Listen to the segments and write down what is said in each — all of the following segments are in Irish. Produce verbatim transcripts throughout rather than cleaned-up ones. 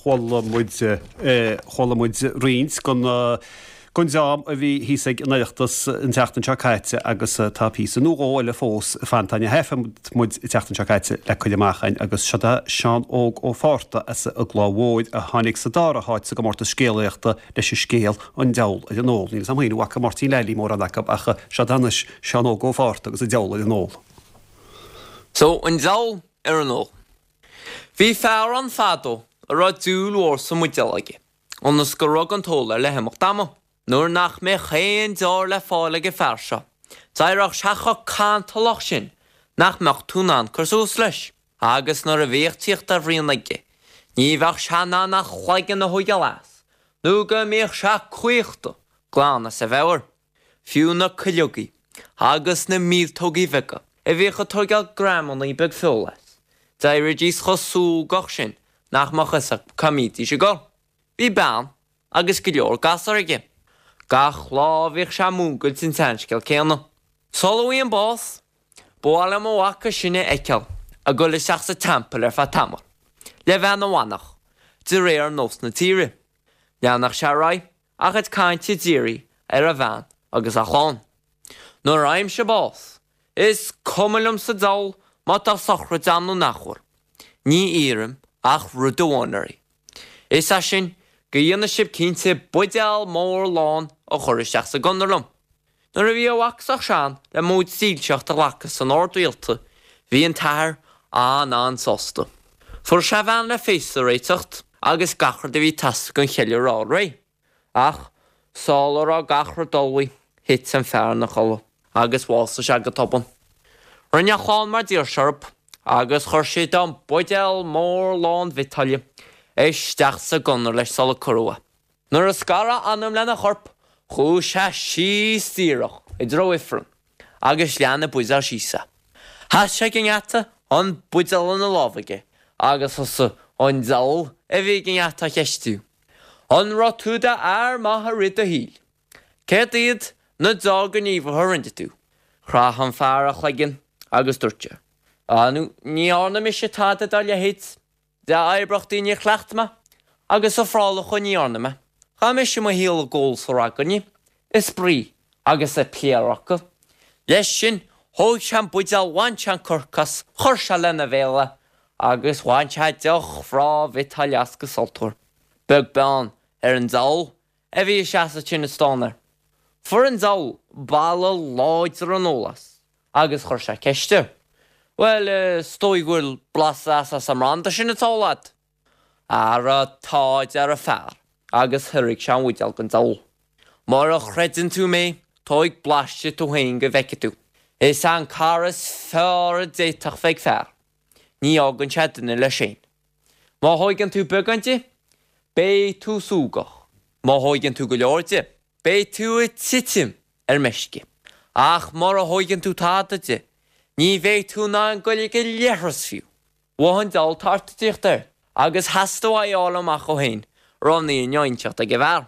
Chuala muid chuala muid roinnt den den dream a bhí thíos ag an Oireachtas an tseachtain seo caite agus tá píosa nó dhó eile fós fanta a thaifead muid an tseachtain seo caite le cur amach againn agus seo é Seán Óg Ó Fátharta as an gCloich Mhóir a tháinig sa dara háit sa gcomórtas scéalaíochta leis an scéal an Diabhal ar an Ól. Níl a fhios agam féin an bhfaca Máirtín Leilí mórán acu ach seo anois Seán Óg Ó Fátharta agus an Diabhal ar an Ól. So an Diabhal ar an Ól. Bhí fear ann fadó a raibh dúil mhór sa mbuidéal aige, ionas gur rug an t-ól air le himeacht ama. Nuair nach mbeadh aon deoir le fáil ag an fear seo, d'éireodh sé chomh cantalach sin nach mbeadh tú in ann cur suas leis, agus nuair a bhíodh tíocht ar bhruíon aige, ní bheadh sé in ann a chloigeann a thógáil as, nó go mbíodh sé caochta glan as a mheabhair. Fiú na cuileogaí agus na míoltógaí beaga a bhíodh ag tógáil greamannaí beag feola as, d'éirídís chomh súgach sin nach mbeadh fhios acu cá mbídís ag dul. Bhí bean agus go leor gasúr aige. Gach lá bhíodh sé ag múngailt an tseanscéal céanna. Sula bhfaighinn bás, ba mhaith liom mo mhac is sine a fheiceáil ag dul isteach sa teampall ar feadh tamaill, le bheith ina mhanach, de réir nós na tíre. Leanfadh sé ar aghaidh a chuid cainte dírí ar a bhean agus a chlann. Nuair a fhaighimse bás, is cuma liom sa diabhal má tá sochraid ann nó nach bhfuil. Ní iarraim ach rud amháin oraibh. Is é sin go ndéanfaidh sibh cinnte buidéal mór lán a chur isteach sa gconair liom. Nuair a bhí a mhac sách sean le móid dílseacht a ghlacadh san ord rialta, bhí an t-athair an-an-sásta. Fuair sé a bhean le féasta a réiteacht agus gach rud a bhí ag teastáil don cheiliúradh a fháil réidh. Ach sula raibh gach rud ullmhaithe, thit an fear ina chodladh agus bhásaigh sé go tobann. Rinne a chlann mar d'iarr sé orthu agus chuir siad an buidéal mór lán bhiotáille isteach sa gconair leis sula cuireadh é. Nuair a scar a anam lena chorp, chuaigh sé síos díreach i dtreo ifrinn agus lean an buidéal síos é. Sheas sé ag an ngeata, an buidéal ina lámh aige, agus thosaigh an diabhal a bhí ag an ngeata á cheistiú. An raibh tú i d'fhear maith i rith do shaoil? Céard iad na deá-ghníomhartha a rinne tú? Chroith an fear a chloigeann agus dúirt sé, Á, ní dhearna mise tada dá leithéid. Dea-oibreachtaí níor chleacht mé, agus ofrálacha ní dhearna mé. Chaith mise mo shaol ag ól is ag ragairne, ag spraoi agus ag pléaráca. Leis sin, thóg sé an buidéal, bhain sé an corc as, chuir sé lena bhéal é, agus bhain sé deoch bhreá bhiotáille as go sultmhar, beag beann ar an diabhal a bhí ag seasamh ansin ag stánadh air. Fuair an diabhal boladh láidir an óil as, agus chuir sé ceist air. Bhuel, is dóigh go bhfuil blas deas as an mbranda sin atá á ól agat. Ara tá, a deir an fear, agus thairg sé an buidéal don diabhal. Mura chreideann tú mé, tóig blaiseadh tú féin go bhfeicfidh tú. Is é an cara is fearr a d'fhéadfadh bheith ag fear. Ní fhágann sé duine leis féin. Má thóigeann tú beagán de, beidh tú súgach. Má thóigeann tú go leor de, beidh tú ag titim ar meisce. Ach mura thóigeann tú tada de, ní bheidh tú in ann goil ag an leithreas fiú. Mhothaigh an diabhal tart ag tíocht air agus theastaigh uaidh a fháil amach dhó féin raibh an fhírinne á inseacht ag an bhfear.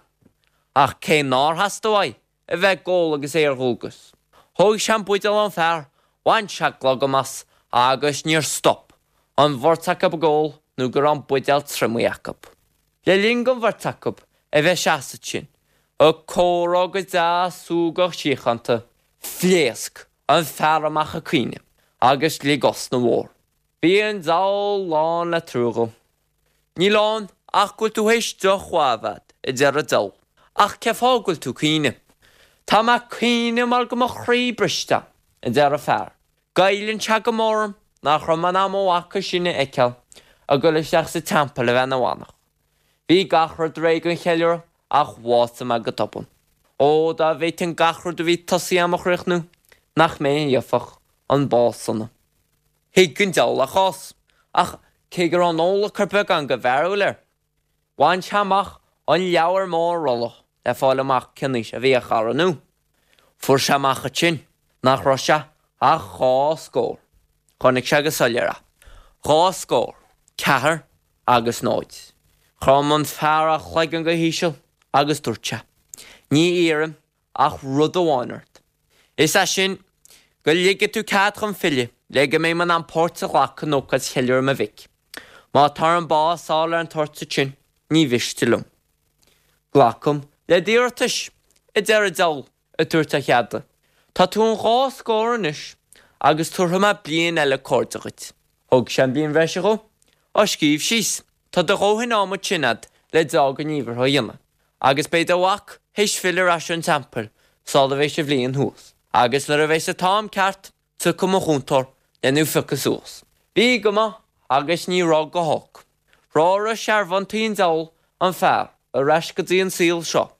Ach cé nár theastaigh uaidh a bheith ag ól agus é ar dhualgas, thóg sé an buidéal ón bhfear, bhain sé glogam as agus níor stop an bheirt acu ag ól nó go raibh an buidéal triomaithe acu. Le linn don bheirt acu a bheith ag seasamh ansin ag comhrá go deas súgach síochánta, phléasc an fear amach ag caoineadh agus lig osna mhór. Bhí an diabhal lán le trua dhó. Níl ann ach go bhfuil tú théis deoch mhaith a bheith agat, a deir an diabhal, ach cén fáth go bhfuil tú ag caoineadh? Tá mé ag caoineadh mar go bhfuil mo chroí briste agam, a deir an fear. Goilleann sé go mór orm nach raibh mé in ann mo mhac is sine a fheiceáil ag dul isteach sa teampall a bheith ina mhanach. Bhí gach rud réidh don cheiliúradh ach bhásaigh mé go tobann. Ó, dá bhféadfainn gach rud a bhí tosaithe agam a chríochnú, nach mé a gheobhadh an bás sona. Thuig an diabhal a chás, ach cé go raibh an ól ag cur beagán de mhearbhall air, bhain sé amach an leabhar mór rolla le fáil amach cén aois a bhí a chara nua. Fuair sé amach ansin nach raibh sé ach dhá scór. Chonaic sé go soiléir é. Dhá scór, ceathair agus náid. Chrom an fear a chloigeann go híseal agus dúirt sé, Ní iarraim ach rud amháin ort. Is é sin, go ligfidh tú cead dhom filleadh le go mbeidh mé in ann páirt a ghlacadh in ócáid cheiliúradh mo mhic. Má tá orm bás a fháil ar an toirt ansin, ní mhiste liom. Glacaim le d'iarratais, a deir an diabhal, ag tabhairt a cheada. Tá tú an dhá scór anois agus tabharfaidh mé bliain eile cairde dhuit. Thug sé an bhliain bhreise dhó. Á scríobh síos, tá do dhóthain ama ansin a'd le dea-ghníomhartha a dhéanamh, agus beidh do mhac théis filleadh ar ais ón teampall sula bheidh an bhliain thuas, agus nuair a bheas an t-am ceart, tiocfaidh mo chúntóir le thú phiocadh suas. Bhí go maith agus ní raibh go holc. Threoraigh searbhóntaí an diabhail an fear ar ais go dtí an saol seo,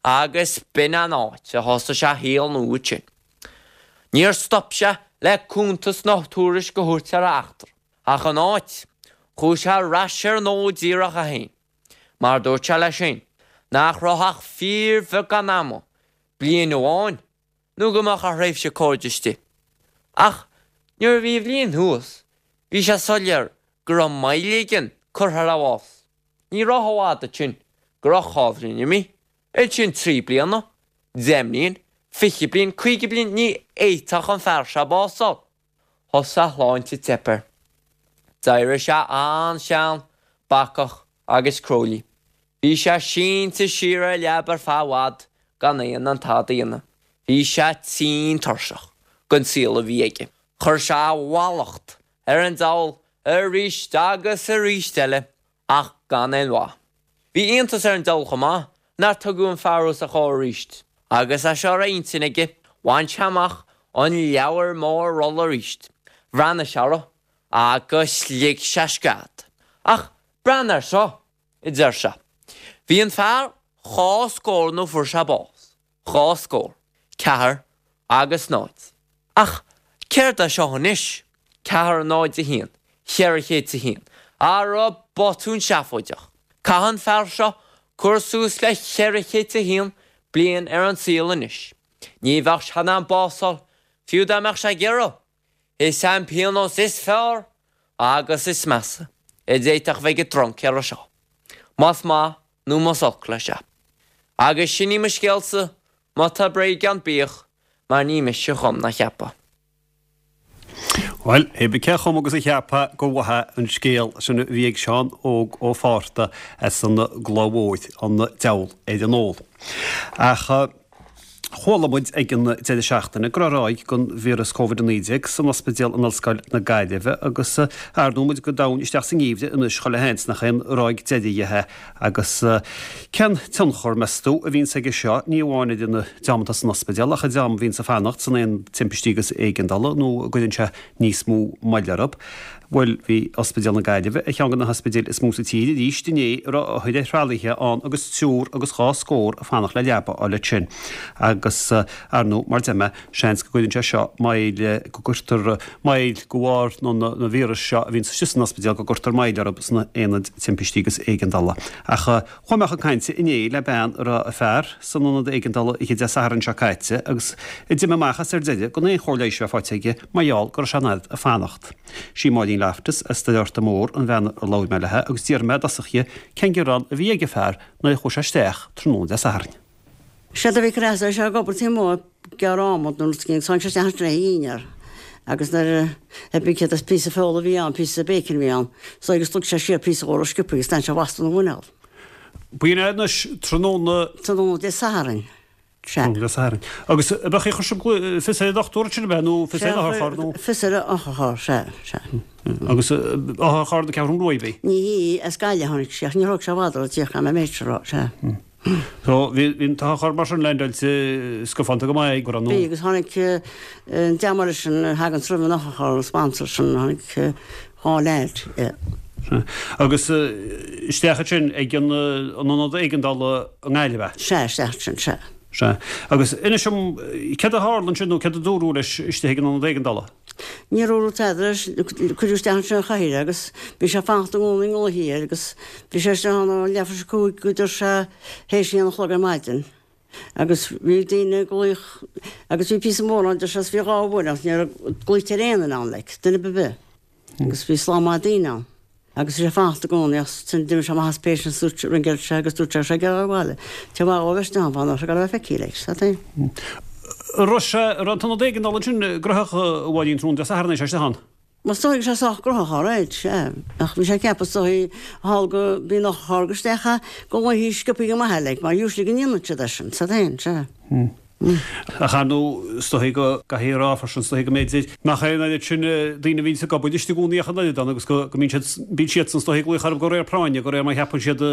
agus b'in an áit a thosaigh sé a shaol nua ansin. Níor stop sé le cuntas ná tuairisc a thabhairt ar a eachtra, ach an áit, chuaigh sé ar ais ar an ól díreach é féin, mar dúirt sé leis féin nach raibh ach fíorbheagán ama, bliain amháin, nó go mbeadh a thréimhse cairde istigh. Ach nuair a bhí a bhliain thuas, bhí sé soiléir go raibh moill éigin curtha ar a bhás. Ní raibh i bhfad ansin go raibh dhá bhliain imithe, ansin trí bliana, deich mbliain, fiche bliain, caoga bliain, ní fhéadfadh an fear seo bás a fháil. Thosaigh a shláinte ag teip air. D'éirigh sé an-sean, bacach agus cróilí. Bhí sé sínte siar ar leaba ar feadh i bhfad gan é in ann tada a dhéanamh. Bhí sé tinn tuirseach den saol a bhí aige. Chuir sé a mhallacht ar an diabhal arís agus arís eile ach gan aon mhaith. Bhí iontas ar an diabhal chomh maith nár tugadh an fear os a chomhair arís. Agus é seo ar a intinn aige, bhain sé amach an leabhar mór rolla arís, bhreathnaigh sé orthu agus lig sé scread. Ach breathnaigh air seo, a deir sé. Bhí an fear dhá scór nuair a fuair sé bás. Dhá scór, ceathair agus náid. Ach céard é seo anois? Ceathair, náid, a haon, cheithre chéad is a haon. Ara botún seafóideach. Caithfidh an fear seo cur suas le ceithre chéad is a haon bliain ar an saol anois. Ní bheadh sé in ann bás a fháil, fiú dá mbeadh sé ag iarraidh. Is é an pionós is fearr agus is measa a d'fhéadfadh bheith ag an dtruncaora seo, más maith nó más olc leis é. Agus sin í mo scéalsa, má tá bréag ann bíodh, mar ní mise a chum ná a cheap é. Bhuel, pé bith cé a chum agus a cheap é, gur mhaith é an scéal sin a bhí ag Seán Óg Ó Fátharta as an gCloich Mhóir, an Diabhal ar an Ól. Ach chuala muid ag an deireadh seachtaine go raibh ráig den víreas Covid a naoi déag san ospidéal in Ollscoil na Gaillimhe agus ar ndóigh muid go domhain isteach sa ngeimhreadh anois chuile sheans nach aon ráig deiridh é agus cén tionchar, meas tú, a bhíonns aige seo, ní amháin ar an dream atá san ospidéal ach an dream a bhíonns ag fanacht san aonad timpistí agus éigeandála nó an gcuireann sé níos mó moille orthu. Bhuel, bhí Ospidéal na Gaillimhe ar cheann de na hospidéil is mó sa tír arís inné a raibh othair ar thralaithe ann agus triúr agus dhá scór ag fanacht le leaba a fháil ansin. Agus, ar ndóigh, mar deir mé, seans go gcuireann sé seo moill, go gcuirtear moill de bharr na víreas seo a bhíonn istigh san ospidéal, go gcuirtear moill orthu sna haonaid timpistí agus éigeandála. Ach chuaigh mé chun cainte inné le bean a raibh a fear san ionad éigeandála oíche Dé Sathairn seo caite agus a d'imigh amach as ar deireadh gan aon chóir leighis a bheith faighte aige mar gheall go raibh sé an oiread ag fanacht. Sí Máirín Loftus as Doire Fhearta Mór an bhean ar labhair mé léi agus d'fhiafraigh mé i dtosach dhi cén gearán a bhí ag a fear nuair a chuaigh sé isteach tráthnóna Dé Sathairn. Séard a bhí ag sé ag obair taobh amuigh ag gearradh adhmad nó rud éigin tháinig sé isteach ansin é a dhinnéar agus nuair a bhí céad is píosa feola a bhí ann, píosa bacon a bhí ann, so agus shlog sé siar píosa dhó sciobtha agus d'fhan sé lasta ina mhuineál. B'in é anois tráthnóna. Tráthnóna Dé Sathairn. Sea. Tráthnóna Dé Sathairn. Agus ab ea chuir sibh fios ar an dochtúir ansin ab ea nó fios ar an otharcharr nó? Fios ar an otharcharr, sea, sea. Agus otharcharr na Ceathrún Rua ab í? Ní hí, as Gaillimh a tháinig sí ach níor thóg sé i bhfad orthu tíocht gan mé méid seo a rá, sea. So bhí an t-otharcharr mar sin leaindeáilte scafánta go maith go raibh nó? Bhí agus tháinig an dream eile sin a thagann roimh an otharcharr, an sponsor sin, tháinig dhá leaid, yeah. Sea. Agus isteach ansin ag an ionad éigeandála i nGaillimh ab ea? Sea, isteach ansin, sea. Sea. Agus inis dom, céard a tharla ansin nó céard a dúradh leis istigh ag an ionad éigeandála? Níor dúradh tada leis, cuireadh isteach ansin an chathaoir é agus bhí sé ag fanacht i gcónaí i nglaoití air agus bhí sé istigh ann ó leathuair tar éis a cúig go dtí sé théis a haon a chlog ar maidin. Agus bhí daoine ag glaoch agus bhí píosa mór ann, deir sé, is bhí dhá uair ann, ní raibh glaoite ar aon duine ann, like, duine ar bith. Agus bhí slám maith daoine ann. Agus bhí sé ag fanacht i gcónaí ach ansin d'imigh sé amach as patient dúirt sé, ringeáil sé agus dúirt sé go raibh sé ag iarraidh a bhaile. Tá mhaith dhó bheith istigh ann fá nach raibh a bheith feicthe like, sa tae. An raibh sé, an raibh an t-ionad éigeandála ansin gnóthach a Mháirín tráthnóna Dé Sathairn é sé istigh ann? Is dóigh sé sách gnóthach alright, sea. Ach bhí sé ag ceapadh is dóigh thall go bíonn otharcharr go isteach go bhfaighidh sciobthaí go maith like, mar usually go ndéanann siad é sin, sa féin, sea. Ach ar ndóigh, is dóigh go gcaithfidh a rá freisin, is dóigh go mb'fhéidir nach é an oiread sin daoine a bhíonns ag obair istigh i gcónaí ach an oiread ann agus go mbíonn siad, bíonn siadsan is dóigh ag glaoch orthu de réir práinne, de réir mar a cheapann siad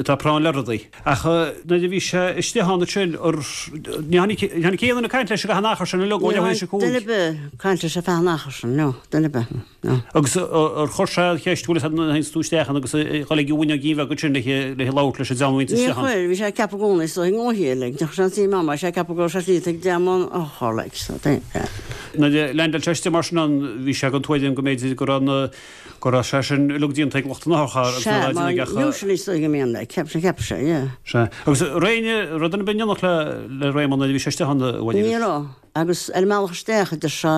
atá práinn le rudaí. Ach nuair a bhí sé istigh ann ansin, ní tháinig aon duine ag caint leis i gcaitheamh an achair sin uilig ó leathuair tar éis a cúig. Duine ar bith ag caint leis ar feadh an achair sin, no, duine ar bith, no. Agus ar chuir sé an cheist, bhfuil fhios agat nuair a théanns tú isteach ann agus ag dul ag an bhfuinneog bheag ansin le labhairt leis an dream a bhíonns Níor istigh ann? chuir, bhí sé ag ceapadh i gcónaí is dóigh, gnóthaí uilig, ní chuir sé an suim ann mar bhí sé ag ceapadh go raibh sé slite ag dream an otharchairr, like, so, yeah. Nuair a leaindeáil sé istigh mar sin ann, bhí sé den tuairim go mb'fhéidir go raibh na, go raibh sé sin uilig déanta ag lucht an otharchairr agus Sea, nach raibh mar duine ach. usually is dóigh go mbíonn, like, cheap sé, cheap sé, yeah. Sea. Agus raibh aon rud ar bith in éineacht le, le Réamonn nuair a bhí sé istigh ann, a Mháirín? Ní raibh. Agus ar an mbealach isteach, a deir sé,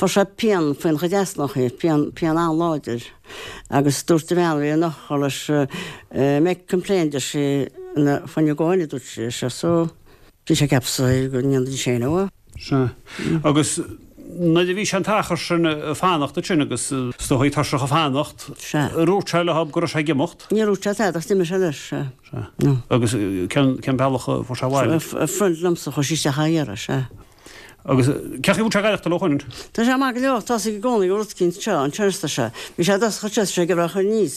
fuair sé pian faoina chuid easnachaí, pian, pian an-láidir. Agus dúirt an bhean a bhí an otharcharr leis, make complaint, deir sí, na, when you go in, a dúirt sí, ar sé, so bhí sé ag ceapadh is dóigh go ndéanfaidís féin é. Sea. Agus nuair a bhí sé an t-achar sin ag fanacht ansin agus is dóigh tuirseach ag fanacht, Sea. ar dhúirt sé leo go raibh sé ag imeacht? Níor dhúirt sé tada ach d'imigh sé leis, sea. Sea. No. Agus cén, cén bealach a fuair sé abhaile? Friend liomsa, chuaigh sí isteach á iarraidh, sea. Agus cén chaoi a bhfuil sé ag aireachtáil ó shoin? Tá sé maith go leor, tá a fhios i gcónaí go rud eicínt seo, an turas seo. Bhí sé i dtosach anseo, sé ag iarraidh a chur aníos,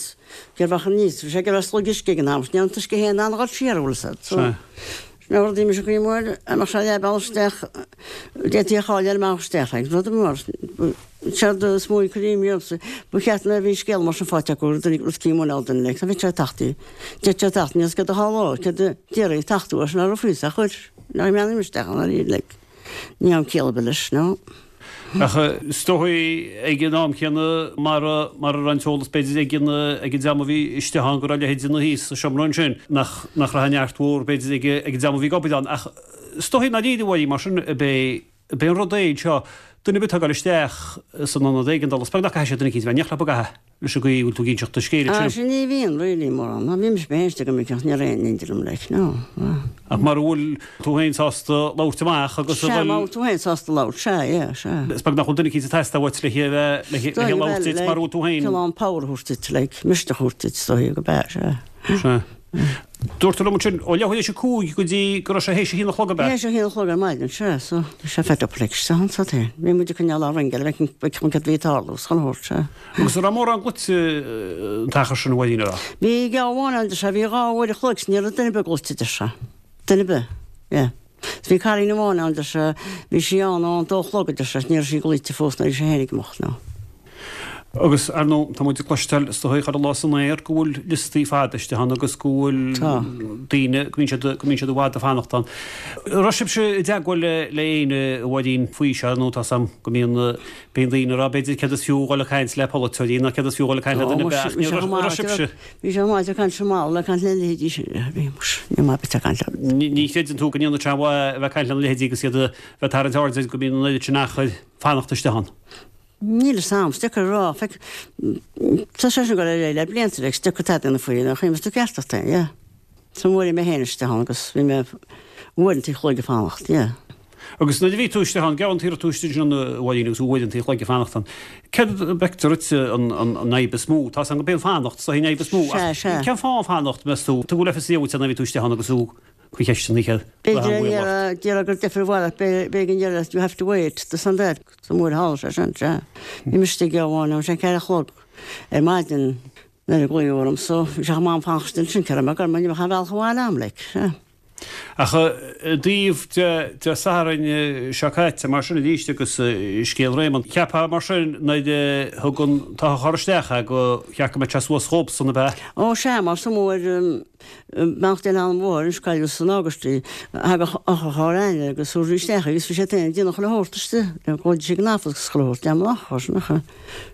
ag iarraidh a chur aníos, bhí sé ag iarraidh slog uisce ag an am, ní raibh an t-uisce féin in ann a dhul siar, an bhfuil fhios agat. So, Sea. sin é rud mise caoi mór, a mbeadh sé leath bealach isteach, d'fhéadfaí a chaill ar an mbealach isteach, like, rud mór. Séard is mó a chuir imní ormsa, ba cheart nuair a bhí scéal mar sin faighte acu, rud rud eicínt muineál duine, like, bhí sé ag teacht í. D'fhéadfadh sé teacht, níl fhios céard a tharlódh, céard a déarfaí, teacht uaidh, sin a raibh fios ach chuir, nach mbeannaím isteach ann arís, like. Ní am ciall ar bith leis, no. Ach is dóigh ag an am céanna mara mara raibh an t-eolas b'fhéidir ag an ag an dream a bhí istigh ann go raibh a leithéid de dhuine thíos sa seomra ansin, nach nach raibh an neart mhór b'fhéidir ag ag an dream a bhí ag obair ann. Ach is dóigh nár éirigh uaidh mar sin ab é ab é an rud é seo, duine ar bith atá ag dul isteach san ionad éigeandála, is beag nach gcaithfidh sé duine eicínt a bheith in éineacht leo go gcaithfidh. Leis an gcaoi a bhfuil tú ag inseacht do scéil Ah, ansin. sin ní bhíonn really mórán. Ná bhí mise féin istigh go minic ach ní raibh aon ní liom like, no. Ach mara bhfuil tú féin sásta labhairt amach agus a Sea, dhul. má bhfuil tú féin sásta labhairt, sea, yeah, sea. Is beag nach bhfuil duine eicínt ag teastáil uait le le le labhairt duit mar a bhfuil tú féin. Cineál power a thabhairt duit, like, misneach a thabhairt duit, is dóigh go b'ea, sea. Sea. Dúirt tú liom ansin, ó leathuair tar éis a cúig go dtí go raibh sé théis a haon a chlog, ab ea? Théis a haon a chlog ar maidin, sea, so bhí sé fed up like, sea, an sa féin. Bhí muid ag coinneáil ár ringeáil, bheadh bheadh cad bhí ag tarlú, 's chuile shórt, sea. Agus an raibh mórán glaoite an t-achar sin a Mháirín, an raibh? Bhí geábh amháin ann, deir sé, bhí dhá uair a chloig, 's ní raibh duine ar bith glaoite, deir sé. Duine ar bith, yeah. 'S bhí cailín amháin ann, deir sé, bhí sí ann ón dó a chlog, deir sé, 's ní raibh sí glaoite fós nuair a bhí sé féin ag imeacht, no. Agus, ar ndóigh, tá muid ag cloisteáil is dóigh chuile lá san aer go bhfuil liostaí fada istigh ann agus go bhfuil daoine, go mbíonn siad, go mbíonn siad i bhfad ag fanacht ann. An raibh sibhse i dteagmháil le, le éinne, a Mháirín, faoi seo nó tá 's a'm go mbíonn, bíonn daoine ag rá b'fhéidir céard is fiú dhul ag caint le polaiteoirí nó céard is fiú dhul ag caint le duine ar bith ach ní raibh, an raibh sibhse? Bhí sé maith ag caint mall ag caint le leithéidí sin, bhí muis, ní maith bit ag caint leo. Ní, ní chreideann tú go ndéanann sé aon mhaith a bheith ag caint lena leithéidí agus iad a bheith ag tarraingt aird go mbíonn an oiread sin achair fanacht istigh ann? Níl fhios a'm, is deacair a rá, feic, tá sé sin ag dul ar aghaidh le blianta, like, is deacair tada a dhéanamh faoi, nach cuimhin tú ceart ort é, yeah. So bhuail mé féin isteach ann agus bhí mé uaireanta an chloig ag fanacht, yeah. Agus nuair a bhí tú istigh ann, geabhann tú tú istigh ansin a Mháirín agus uaireanta an chloig ag fanacht ann, céard a bhfeictear duit an, an, an fhadhb is mó? Tá 's a'm go b'é an fanacht, is dóigh an fhadhb is mó, Sea, ach sea. cén fáth an fanacht, meas tú? Tugadh le fios duit nuair a bhí tú istigh ann agus tú faoi cheisteanna céad B'fhéidir a déarfá gur deifir abhaile ach b'éigean a déarfá you have to wait this and that. Sa mhuir thall sé sin, sea. Bhí mise istigh amháin ann, sé ceathair a chlog ar maidin nuair a glaodh orm so bhí sé chomh maith fanacht ansin cé raibh mé ag gabháil ní bheadh aon bhealach abhaile a'm like, sea. Ach i dtaobh de Dé Sathairn seo caite mar sin arís agus scéal Réamonn, cheapfá mar sin nuair a thug an t-otharcharr isteach é go cheart go mbeadh sé suas dhóibhsan ab ea? Ó sea, mar sa mhuir Beannacht Dé lena anam anois cailleadh san August í. Thagadh otharcharr againne agus thabharfaí isteach í agus bhí sé féin ag déanamh chuile shórt istigh. Ghlaoidís ag an office agus chuile shórt. Déanamh an otharcharr sin ach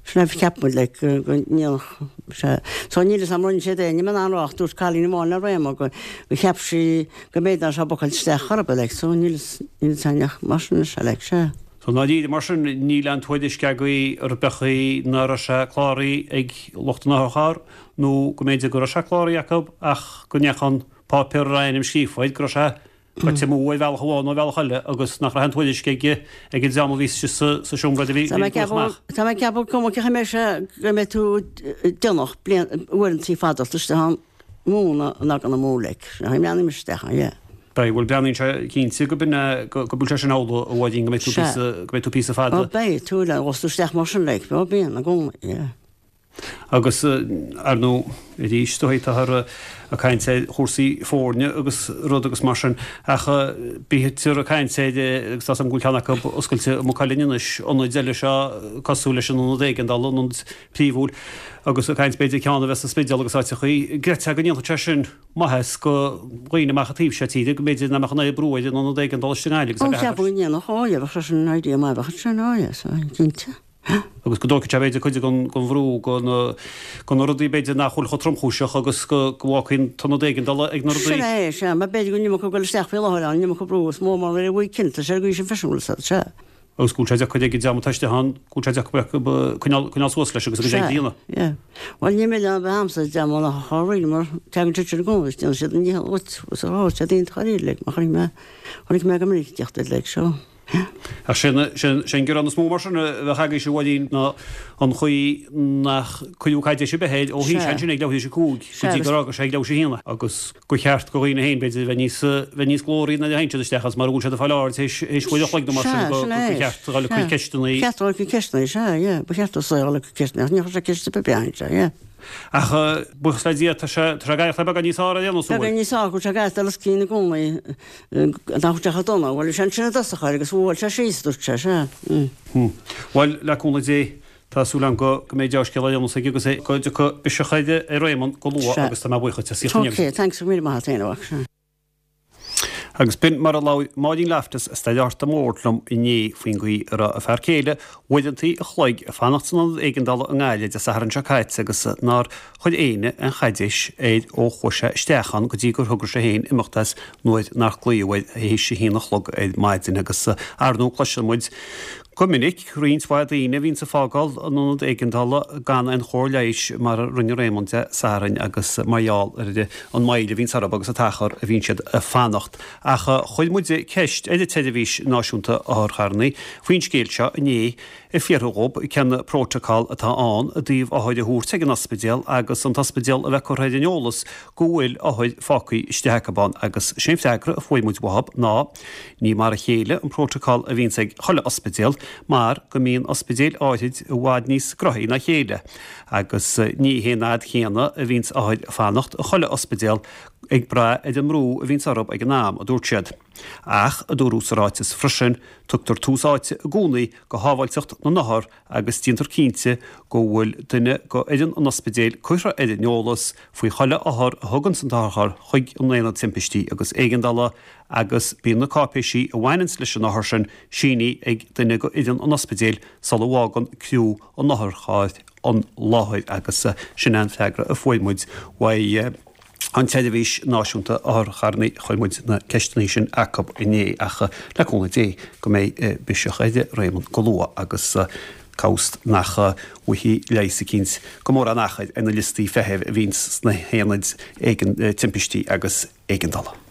sin é a cheap muid like go ndéanfadh sé. So níl fhios a'm rinne siad é, níl mé in ann a rá ach dúirt cailín amháin le Réamonn go go cheap sí go mb'fhéidir nach raibh sé bookáilte isteach chor ar bith like so níl fhios níl fhios a'inn ach mar sin is ea like sea. So i ndáiríre mar sin níl aon tuairisc agaibh ar bith faoi nach raibh sé cláraithe ag lucht an otharchairr nó go mb'fhéidir go raibh sé cláraithe acu ach go ndeachaigh an páipéar a raibh a ainm scríofa air go raibh sé Goite amú ar bhealach amháin nó ar bhealach eile agus nach raibh aon tuairisc ag ag an dream a bhí sa sa seomra a bhí Tá mé ag ceapadh tá mé ag ceapadh cuma cé chaoi mbeidh sé go mbeidh tú déanach bliain uaireantaí fada istigh ann mó ná ná gan amú like. Sea, breathnaím isteach ann, yeah. Beidh, bhuel breathnaíonn sé cinnte go b'in é go go bhfuil sé sin amhlaidh a Mháirín go mbeidh tú píosa go mbeidh tú píosa fada. Ó beidh tú le dhul isteach mar sin like, ó bíonn i gcónaí, yeah. Agus, ar ndóigh, arís, táthar ag caint ar chúrsaí foirne agus rud agus mar sin, ach bítear ag caint ar, agus tá 's agam go bhfuil ceann acu oscailte i Maigh Cuilinn anois, ionaid eile seo cosúil leis an ionad éigeandála, an ionad príomhúil, agus ag caint b'fhéidir ceann a bheith sa Spidéal agus áiteachaí. An gcreidfeá go ndéanfadh sé sin maitheas go dhaoine amach an taobh seo tíre, go mb'fhéidir nach mbeadh an oiread brú ar an ionad éigeandála istigh i nGaillimh agus a bheadh. Ó, cheapfainn go ndéanfadh, ó, bheadh sé sin idea maith, bheadh sin, ó, yes, cinnte. agus go dtógfaidh sé b'fhéidir cuid den bhrú de na rudaí b'fhéidir nach bhfuil chomh tromchúiseach agus go bhfágfaí an t-ionad éigeandála ag na rudaí. Sin é, sea, mar b'fhéidir go an iomarca ag dul isteach faoi láthair ann, an iomarca brú is mó mar ar bhfuil cinnte sé go sin freisin bhfuil siad, sea. Agus go bhfuil sé deacair ag an dream atá istigh ann, go bhfuil sé deacair acu coinneáil suas leis agus a gcuid oibre a dhéanamh. Sea, yeah. Bhuel ní milleán a bheith a'msa dream ann ach a rinn mar teagann siad sin i gcónaí is déanann siad a ndícheall dhuit, agus ó, tá siad iontach dáiríre like, mar chonaic mé, chonaic mé go minic ag teacht air like, so. Ach sé an gearán is mó mar sin a bheadh agaibhse, a Mháirín, ná an chaoi nach cuireadh caidéis ar bith air ó shuigh sé ansin ag leathuair tar éis a cúig go dtí gur fhága sé ag leathuair tar éis a haon é agus gur cheart do dhaoine féin, b'fhéidir, bheith níos bheith níos glóraí nuair a théann siad isteach agus mura bhfuil siad ag fáil aird théis théis uair a chloig nó mar sin go gur cheart a dhul ag cur ceisteanna. Cheart a dhul ag cur ceisteanna, sea, yeah, ba cheart a dhul ag cur ceisteanna ach ní chuir sé ceist ar bith bean, sea, yeah. Ach buíochas le Dia, tá sé ag éirí beagán níos fearr ar aon nós, an bhfuil? Beagán níos fearr, go bhfuil sé ag éireachtáil os cionn i gcónaí, nach bhfuil sé chomh dona. Bhuel, bhí sé ansin i dtosach air agus bhuail sé síos, dúirt sé, sea. Bhuel, le cúnamh Dé, tá súil agam go mbeidh dea-scéal ar aon nós aige agus go dtiocfaidh biseach ar Réamonn go luath agus tá mé buíoch duit as ucht an Ok, thanks, go raibh míle maith agat féin, a mhac, sea. Agus b'in mar a labhair Máirín Loftus as Staid Árta Mór liom inné faoin gcaoi a raibh a fear céile uaireantaí a chloig ag fanacht san ionad éigeandála i nGaillimh Dé Sathairn seo caite agus nár chuir éinne aon chaidéis air ó chuaigh sé isteach ann go dtí gur thogair sé féin imeacht as nuair nár glaodh air théis a haon a chlog ar maidin. Agus ar ndóigh cloiseann muid Go minic, roinnt mhaith daoine a bhíonns ag fágáil an ionad éigeandála gan aon chóir leighis, mar a rinne Réamonn Dé Sathairn agus mar gheall ar an moill a bhíonns orthu agus an t-achar a bhíonn siad ag fanacht. Ach chuir muide ceist ar an tSeirbhís Náisiúnta Otharcharranna faoin scéal seo inné, ag fiafraí dhób cén prótacal atá ann i dtaobh othair a thabhairt ag an ospidéal agus an t-ospidéal a bheith curtha ar an eolas go bhfuil othair fágtha istigh acu ann agus sé'n freagra a fuair muid uathub ná ní mar a chéile an prótacal a bhíonns ag chuile ospidéal mar go mbíonn ospidéil áithrid i bhfad níos gnoithí ná chéile agus ní hé an fhad chéanna a bhíonns othair ag fanacht i chuile ospidéal ag brath ar an mbrú a bhíonns orthub ag an am, a dúirt siad. Ach, a dúradh sa ráiteas freisin, tugtar tús áite i gcónaí go shábháilteacht na n-othar agus déantar cinnte go bhfuil duine go fhoireann an ospidéil curtha ar an eolas faoi chuile othar a thuganns an t-otharcharr chuig an Aonad Timpistí agus Éigeandála agus bíonn na cáipéisí a bhaineanns leis an othar sin sínithe ag duine go fhoireann an ospidéil sula bhfágann criú an otharchairr an láthair agus sin é an freagra a fuair muid uaidh an tSeirbhís Náisiúnta Otharcharranna. Chuir muid na ceisteanna sin acub inné ach le cúnamh Dé go mbeidh biseach ar Réamonn go luath agus cá bhfios nach bhfaighidh leigheas eicínt go mórán achair ar na liostaí feithimh a bhíonns sna haonaid timpistí agus éigeandála.